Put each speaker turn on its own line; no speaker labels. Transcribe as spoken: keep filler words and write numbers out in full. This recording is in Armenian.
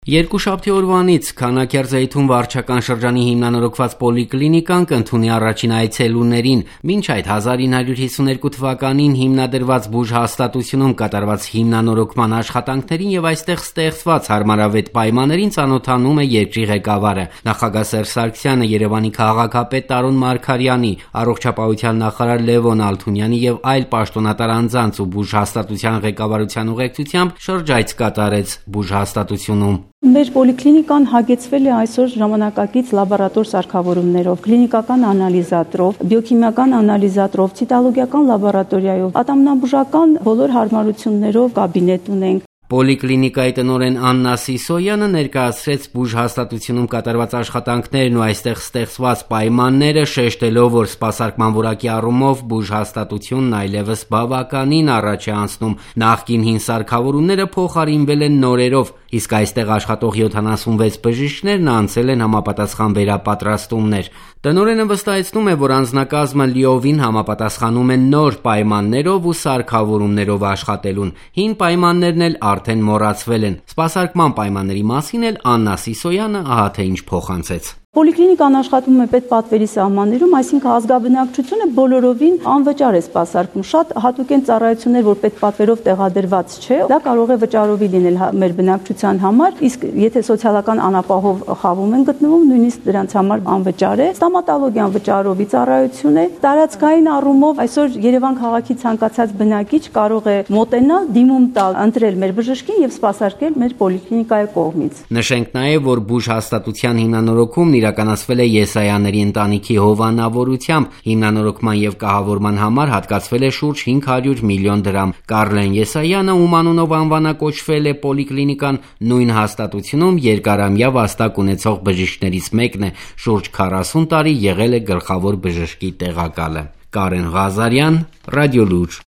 Երկուշաբթի օրվանից Քանաքեռձեյթուն վարչական շրջանի հիմնանորոգված պոլիկլինիկան կընդունի առաջին այցելուներին, մինչ այդ հազար ինը հարյուր հիսուներկու թվականին հիմնադրված բուժհաստատությունում կատարված հիմնանորոգման աշխատանքներին եւ այստեղ ստեղծված հարմարավետ պայմաններին ծանոթանում է երկրի ղեկավարը։ Նախագահ Սերժ Սարգսյանը, Երևանի քաղաքապետ Տարոն Մարգարյանի, առողջապահության նախարար Լևոն Ալթունյանի եւ այլ պաշտոնատար անձանց ու բուժհաստատության ղեկավարության ուղեկցությամբ շրջայց կատարեց բուժհաստատությունում։
Մեր պոլիկլինիկան հագեցվել է այսօր ժամանակակից լաբորատոր սարքավորումներով, կլինիկական անալիզատրով, բիոքիմիական անալիզատրով, ցիտոլոգիական լաբորատորիայով, ատամնաբուժական բոլոր հարմարություններով կաբինետ ունենք։
Պոլիկլինիկայի տնօրեն Աննա Սիսոյանը ներկայացրեց բուժհաստատությունում կատարված աշխատանքներն ու այստեղ ստեղծված պայմանները, շեշտելով, որ սպասարկման որակի առումով բուժհաստատությունն այլևս բավականին առաջ է անցնում։ Նախկին հին սարքավորումները փոխարինվել են նորերով, իսկ այստեղ աշխատող յոթանասունվեց բժիշկներն անցել են համապատասխան վերապատրաստումներ։ Տնօրենը վստահեցնում է, որ անձնակազմը լիովին համապատասխանում է նոր պայմաններով ու սարքավորումներով աշխատելուն։ Հին պայմաններն էլ արդեն մոռացվել են։ Սպասարկման պայմանների մասին էլ Աննա Սիսոյանը ահա թե ինչ փոխանցեց։
Պոլիկլինիկան աշխատում է պետպատվերի սահմաններում, այսինքն ազգաբնակչությունը բոլորովին անվճար է սպասարկում։ Շատ հատուկ են ծառայություններ, որ պետպատվերով տեղադրված չէ, դա կարող է վճարովի լինել մեր բնակչության համար, իսկ եթե սոցիալական անապահով խավում են գտնվում, նույնիսկ դրանց համար անվճար է։ Ստոմատոլոգիան վճարովի ծառայություն է։ Տարածքային առումով այսօր Երևան քաղաքի ցանկացած բնակիչ կարող է մոտենալ, դիմում տալ, ընտրել մեր բժշկին եւ սպասարկել մեր պոլիկլինիկայի կողմից։
Նշենք նաեւ, որ բուժհաստատության հիմնանորոգումն իրականացվել է Եսայանների ընտանիքի հովանավորությամբ, հիմնանորոգման եւ կահավորման համար հատկացվել է շուրջ հինգ հարյուր միլիոն դրամ։ Կարլեն Եսայանը, ում անունով անվանակոչվել է պոլիկլինիկան, նույն հաստատությունում երկարամյա վաստակ ունեցող բժիշկներից մեկն է, շուրջ քառասուն տարի եղել է գլխավոր բժշկի տեղակալը։ Կարեն Ղազարյան, Ռադիոլուր։